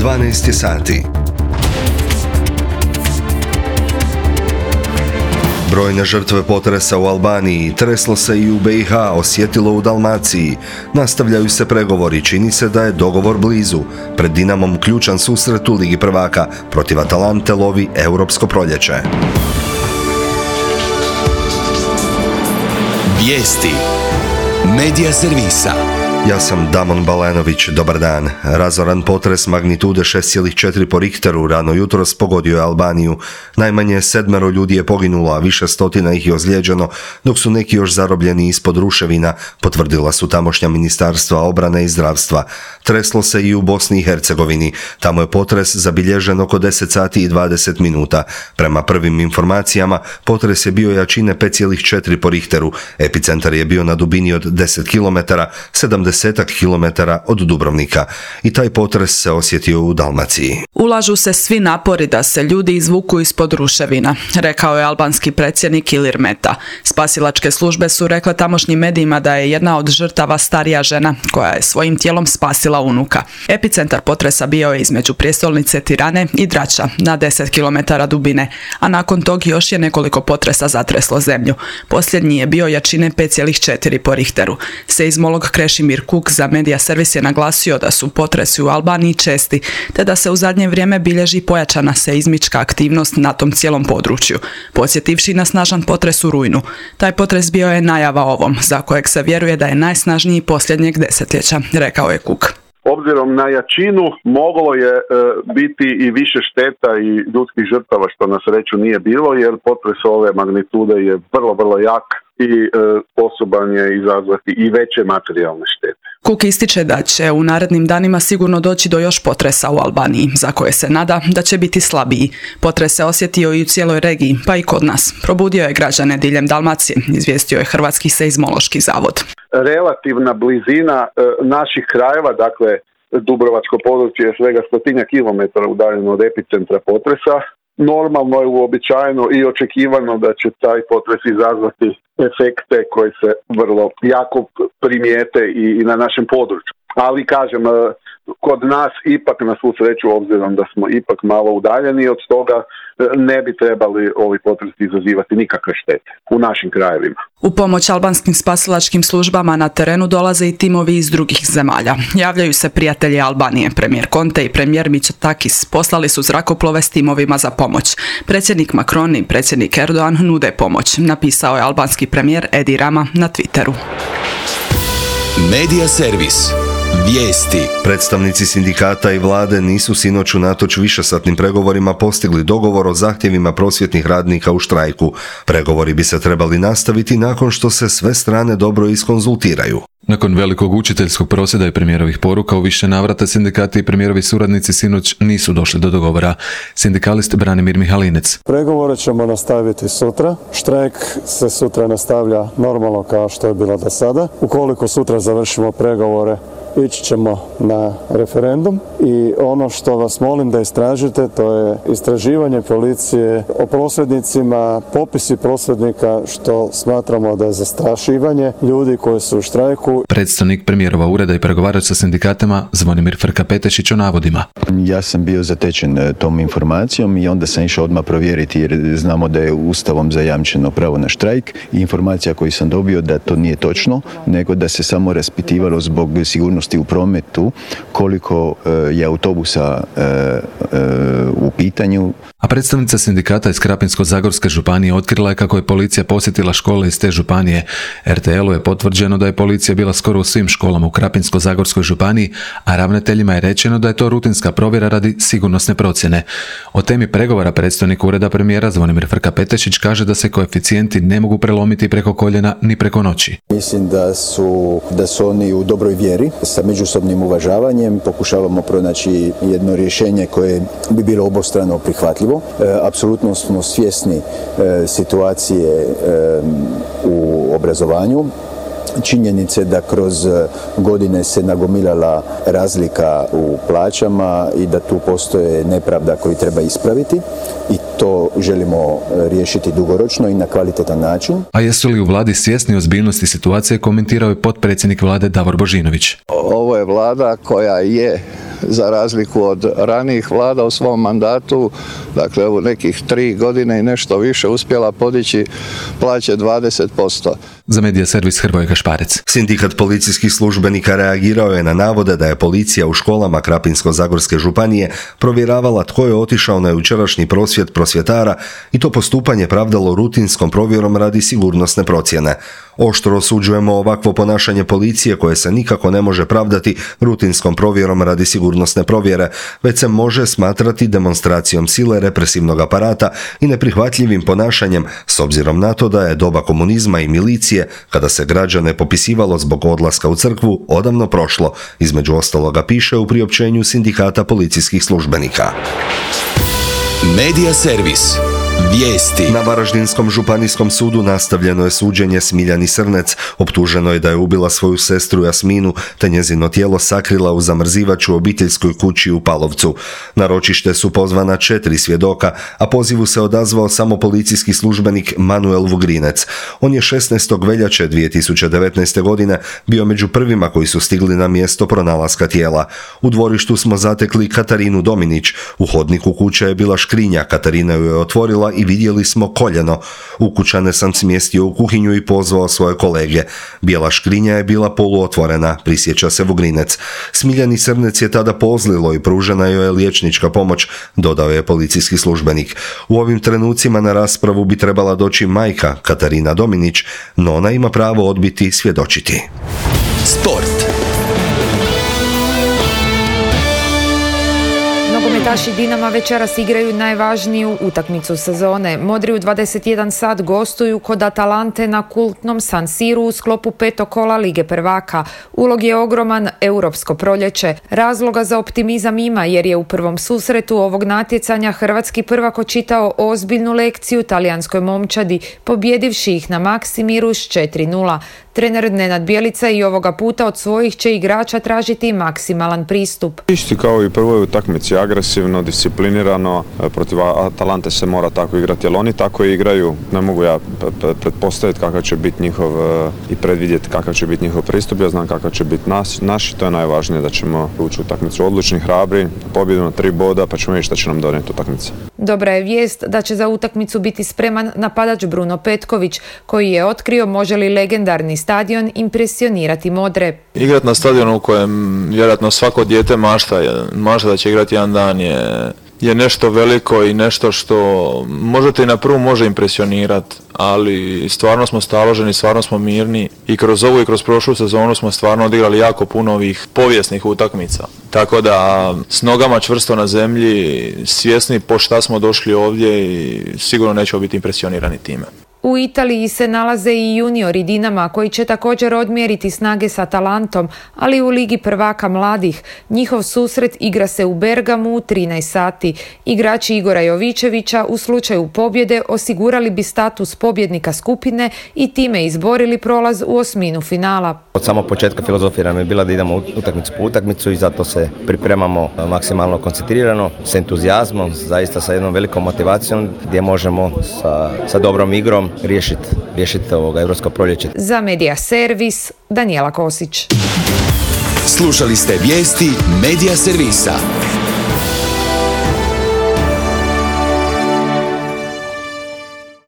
12 sati. Brojne žrtve potresa u Albaniji, treslo se i u BiH, osjetilo u Dalmaciji. Nastavljaju se pregovori, čini se da je dogovor blizu. Pred Dinamom ključan susret u Ligi prvaka, protiv Atalante lovi Europsko proljeće. Vijesti Medija servisa. Ja sam Damon Balenović, dobar dan. Razoran potres magnitude 6,4 po Richteru rano jutros pogodio je Albaniju. Najmanje 7 ljudi je poginulo, a više stotina ih je ozlijeđeno, dok su neki još zarobljeni ispod ruševina, potvrdila su tamošnja ministarstva obrane i zdravstva. Treslo se i u Bosni i Hercegovini. Tamo je potres zabilježen oko 10 sati i 20 minuta. Prema prvim informacijama, potres je bio jačine 5,4 po Richteru. Epicentar je bio na dubini od 10 km, 70 kilometara od Dubrovnika, i taj potres se osjetio u Dalmaciji. Ulažu se svi napori da se ljudi izvuku ispod ruševina, rekao je albanski predsjednik Ilir Meta. Spasilačke službe su rekle tamošnjim medijima da je jedna od žrtava starija žena koja je svojim tijelom spasila unuka. Epicentar potresa bio je između prijestolnice Tirane i Drača na 10 km dubine, a nakon tog još je nekoliko potresa zatreslo zemlju. Posljednji je bio jačine 5,4 po Richteru. Seizmolog Krešimir Kuk za Medija servis je naglasio da su potresi u Albaniji česti, te da se u zadnje vrijeme bilježi pojačana seizmička aktivnost na tom cijelom području, podsjetivši na snažan potres u rujnu. Taj potres bio je najava ovom, za kojeg se vjeruje da je najsnažniji posljednjeg desetljeća, rekao je Kuk. Obzirom na jačinu, moglo je biti i više šteta i ljudskih žrtava, što na sreću nije bilo, jer potres ove magnitude je vrlo jak i sposoban je izazvati i veće materijalne štete. Kuk ističe da će u narednim danima sigurno doći do još potresa u Albaniji, za koje se nada da će biti slabiji. Potres se osjetio i u cijeloj regiji, pa i kod nas. Probudio je građane diljem Dalmacije, izvijestio je Hrvatski seizmološki zavod. Relativna blizina naših krajeva, dakle Dubrovačko područje je svega 100 kilometara udaljeno od epicentra potresa. Normalno je, uobičajeno i očekivano da će taj potres izazvati efekte koji se vrlo jako primijete i na našem području. Ali kažem, kod nas ipak na svu sreću, obzirom da smo ipak malo udaljeni od toga, ne bi trebali ovi potresi izazivati nikakve štete u našim krajevima. U pomoć albanskim spasilačkim službama na terenu dolaze i timovi iz drugih zemalja. Javljaju se prijatelji Albanije. Premijer Conte i premijer Mitsotakis poslali su zrakoplove s timovima za pomoć. Predsjednik Macron i predsjednik Erdogan nude pomoć, napisao je albanski premijer Edi Rama na Twitteru. Medija servis. Vijesti. Predstavnici sindikata i vlade nisu sinoć unatoč višesatnim pregovorima postigli dogovor o zahtjevima prosvjetnih radnika u štrajku. Pregovori bi se trebali nastaviti nakon što se sve strane dobro iskonzultiraju. Nakon velikog učiteljskog prosvjeda i premijerovih poruka u više navrata sindikati i premijerovi suradnici sinoć nisu došli do dogovora. Sindikalist Branimir Mihalinec. Pregovore ćemo nastaviti sutra. Štrajk se sutra nastavlja normalno kao što je bilo do sada. Ukoliko sutra završimo pregovore, ići ćemo na referendum i ono što vas molim da istražite, to je istraživanje policije o prosvjednicima, popisi prosvjednika, što smatramo da je zastrašivanje ljudi koji su u štrajku. Predstavnik premijerova ureda i pregovarač sa sindikatima Zvonimir Frka-Petešić o navodima. Ja sam bio zatečen tom informacijom i onda sam išao odmah provjeriti, jer znamo da je Ustavom zajamčeno pravo na štrajk, i informacija koju sam dobio da to nije točno, nego da se samo raspitivalo zbog sigurnosti u prometu koliko je autobusa u pitanju. A predstavnica sindikata iz Krapinsko-zagorske županije otkrila je kako je policija posjetila škole iz te županije. RTL-u je potvrđeno da je policija bila skoro u svim školama u Krapinsko-zagorskoj županiji, a ravnateljima je rečeno da je to rutinska provjera radi sigurnosne procjene. O temi pregovora predstavnik ureda premijera Zvonimir Frka-Petešić kaže da se koeficijenti ne mogu prelomiti preko koljena ni preko noći. Mislim da su oni u dobroj vjeri, sa međusobnim uvažavanjem pokušavamo pronaći jedno rješenje koje bi bilo obostrano prihvatljivo. Apsolutno smo svjesni situacije u obrazovanju. Činjenice da kroz godine se nagomilala razlika u plaćama i da tu postoje nepravda koju treba ispraviti, i to želimo riješiti dugoročno i na kvalitetan način. A jesu li u vladi svjesni ozbiljnosti situacije, komentirao je potpredsjednik vlade Davor Božinović. Ovo je vlada koja je za razliku od ranijih vlada u svom mandatu, dakle u nekih 3 godine i nešto više uspjela podići plaće 20%. Za Medija servis Hrvoje Kašparec. Sindikat policijskih službenika reagirao je na navode da je policija u školama Krapinsko-zagorske županije provjeravala tko je otišao na jučerašnji prosvjed prosvjetara i to postupanje pravdalo rutinskom provjerom radi sigurnosne procjene. Oštro osuđujemo ovakvo ponašanje policije koje se nikako ne može pravdati rutinskom provjerom radi sigurnosne provjere, već se može smatrati demonstracijom sile represivnog aparata i neprihvatljivim ponašanjem s obzirom na to da je doba komunizma i milicije, kada se građane popisivalo zbog odlaska u crkvu, odavno prošlo, između ostaloga piše u priopćenju sindikata policijskih službenika. Medija servis. Vijesti. Na Varaždinskom županijskom sudu nastavljeno je suđenje Smiljani Srnec. Optuženo je da je ubila svoju sestru Jasminu te njezino tijelo sakrila u zamrzivač u obiteljskoj kući u Palovcu. Na ročište su pozvana 4 svjedoka, a pozivu se odazvao samo policijski službenik Manuel Vugrinec. On je 16. veljače 2019. godine bio među prvima koji su stigli na mjesto pronalaska tijela. U dvorištu smo zatekli Katarinu Dominić. U hodniku kuće je bila škrinja, Katarina ju je otvorila i vidjeli smo koljeno. Ukućane sam smjestio u kuhinju i pozvao svoje kolege. Bijela škrinja je bila poluotvorena, prisjeća se Vugrinec. Smiljani Srnec je tada pozlilo i pružena joj je liječnička pomoć, dodao je policijski službenik. U ovim trenucima na raspravu bi trebala doći majka Katarina Dominić, no ona ima pravo odbiti svjedočiti. Sport. Nogometaši Dinama večeras igraju najvažniju utakmicu sezone. Modri u 21 sat gostuju kod Atalante na kultnom San Siru u sklopu 5. kola Lige prvaka. Ulog je ogroman, europsko proljeće. Razloga za optimizam ima jer je u prvom susretu ovog natjecanja hrvatski prvak očitao ozbiljnu lekciju talijanskoj momčadi, pobjedivši ih na Maksimiru s 4:0. Trener Nenad Bjelica i ovoga puta od svojih će igrača tražiti maksimalan pristup. Isti kao i prvoj utakmici, agresivno, disciplinirano, protiv Atalante se mora tako igrati, jer oni tako igraju. Ne mogu ja pretpostaviti kakav će biti njihov i predvidjeti kakav će biti njihov pristup. Ja znam kakav će biti naš, to je najvažnije, da ćemo ući u utakmicu odlučni, hrabri, pobjedu na 3 boda, pa ćemo vidjeti šta će nam donijeti utakmica. Dobra je vijest da će za utakmicu biti spreman napadač Bruno Petković, koji je otkrio može li legendarni stadion impresionirati modre. Igrat na stadionu u kojem vjerojatno svako dijete mašta da će igrati jedan dan je nešto veliko i nešto što možete i na prvu može impresionirati, ali stvarno smo staloženi, stvarno smo mirni i kroz ovu i kroz prošlu sezonu smo stvarno odigrali jako puno ovih povijesnih utakmica. Tako da s nogama čvrsto na zemlji, svjesni po šta smo došli ovdje i sigurno nećemo biti impresionirani time. U Italiji se nalaze i juniori Dinama koji će također odmjeriti snage s Atalantom, ali u Ligi prvaka mladih. Njihov susret igra se u Bergamu u 13 sati. Igrači Igora Jovičevića u slučaju pobjede osigurali bi status pobjednika skupine i time izborili prolaz u osminu finala. Od samog početka filozofija nam je bila da idemo utakmicu po utakmicu i zato se pripremamo maksimalno koncentrirano, s entuzijazmom, zaista sa jednom velikom motivacijom gdje možemo sa dobrom igrom riješiti europsko proljeće. Za Medija servis, Danijela Kosić. Slušali ste vijesti Medija servisa.